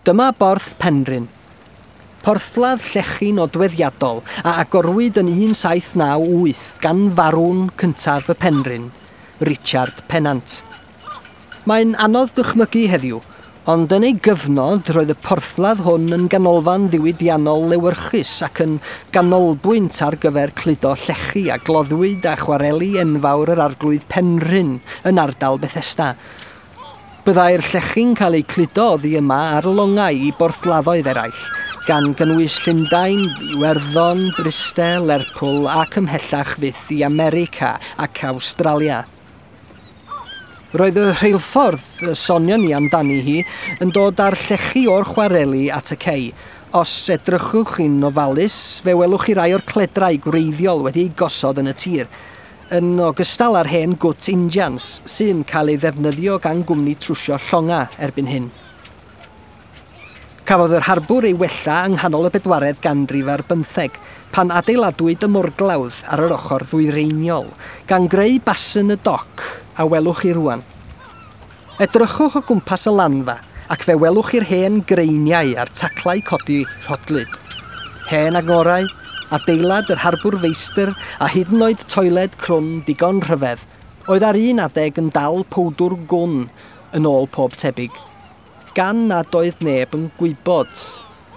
Dyma Borth Penrhyn. Porthladd llechi nodweddiadol a agorwyd yn 1798 gan farwn cyntaf y Penrhyn, Richard Pennant. Mae'n anodd dychmygu heddiw, ond yn ei gyfnod roedd y porthladd hwn yn ganolfan ddiwydiannol lewyrchus ac yn ganolbwynt ar gyfer cludo llechi a gloddwyd a chwareli enfawr yr Arglwydd Penrhyn yn ardal Bethesda. Byddai'r llechi'n cael eu cludo oddi yma ar longau i borthladdoedd eraill, gan gynnwys Llundain, Iwerddon, Bryste, Lerpwl ac ymhellach fyth i America ac Awstralia. Roedd y rheilffordd y sonion ni amdani hi yn dod â'r llechi o'r chwareli at y cei. Os edrychwch chi'n ofalus, fe welwch chi rai o'r cledrau gwreiddiol wedi eu gosod yn y tir, yn ogystal â'r hen gwt injans, sy'n cael ei ddefnyddio gan gwmni trwsio llonga erbyn hyn. Cafodd yr harbwr ei wella yng nghanol y bedwaredd ganrif ar bymtheg, pan adeiladwyd y morglawdd ar yr ochr ddwyreiniol, gan greu basn y doc a welwch chi rŵan. Edrychwch o gwmpas y lanfa, ac fe welwch chi'r hen greiniau a'r taclau codi rhodlyd. Hen angorau, adeilad yr harbwr feistr a hyd yn oed toiled crwn digon rhyfedd, oedd ar un adeg yn dal powdwr gwn yn ôl pob tebyg, gan nad oedd neb yn gwybod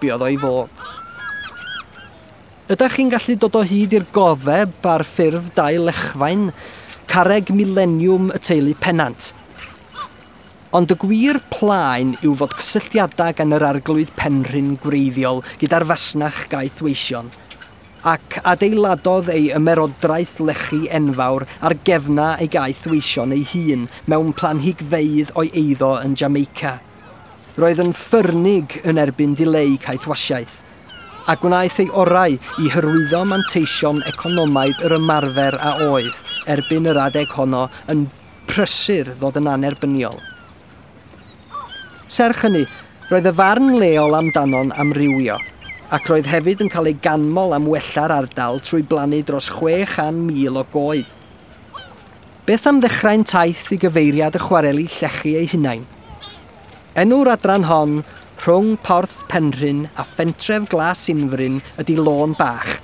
be oedd o'i fod. Ydych chi'n gallu dod o hyd i'r gofeb ar ffurf dau lechfaen, carreg mileniwm y teulu Pennant? Ond y gwir plaen yw fod cysylltiadau gan yr Arglwydd Penrhyn gwreiddiol gyda'r fasnach gaethweision, ac adeiladodd ei ymerodraeth lechi enfawr ar gefna ei gaethweision ei hun mewn planhigfeydd o'i eiddo yn Jamaica. Roedd yn ffyrnig yn erbyn dileu caethwasiaeth, a gwnaeth ei orau i hyrwyddo manteision economaidd yr ymarfer a oedd, erbyn yr adeg honno, yn prysur ddod yn annerbyniol. Serch hynny, roedd y farn leol amdano'n amrywio, ac roedd hefyd yn cael ei ganmol am wella'r ardal trwy blannu dros 600,000 o goed. Beth am ddechrau'n taith i gyfeiriad y chwareli llechi eu hunain? Enw'r adran hon, rhwng Porth Penrhyn a phentref Glas Unfryn, ydy Lôn Bach,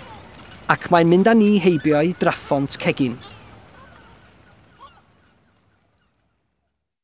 ac mae'n mynd â ni heibio i Draphont Cegin.